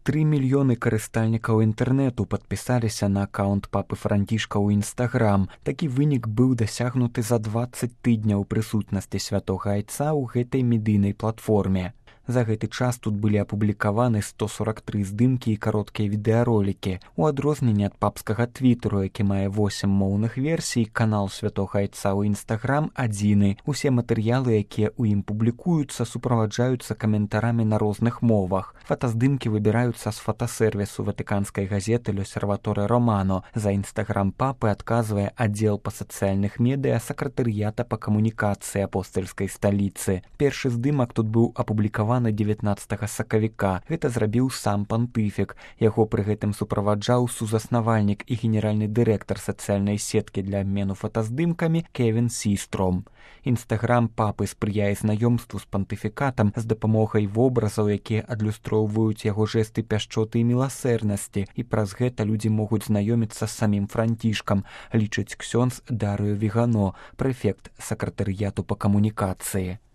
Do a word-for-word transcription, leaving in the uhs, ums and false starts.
Тры мільёны карыстальнікаў інтэрнэту падпісаліся на аккаунт папы Францішка ў Інстаграм. Такі вынік быў дасягнуты за дваццаць тыдняў прысутнасці святога айца ў гэтай медыйнай платформе. За гэты час тут былі апублікаваны сто сорак тры здымкі і кароткія відэаролікі. У адрозненне ад папскага твіттеру, які мае восем моўных версій, канал святога айца ў Інстаграм адзіны. Усе матэрыялы, якія ў ім публікуюцца, суправаджаюцца каментарамі на розных мовах. Фотаздымкі выбіраюцца з фотасервісу ватыканскай газеты «L'Osservatore Romano». За Інстаграм папы адказвае аддзел па сацыяльных медыа сакратарыята па камунікацыі апостальскай сталіцы. Першы здымак тут быў апублікаваны дзевятнаццатага сакавіка. Гэта зрабіў сам пантыфік. Яго пры гэтым суправаджаў сузаснавальнік і генеральны дырэктар сацыяльнай сеткі для абмену фотаздымкамі Кевін Сістром. Інстаграм папы спрыяе знаёмству з пантыфікатам з дапамогай вобразаў, якія адлюстроўваюць яго жэсты пяшчоты і міласэрнасці, і праз гэта людзі могуць знаёміцца з самім Францішкам, лічыць ксёндз Дарыё Вігано, прэфект сакратарыяту па камунікацыі.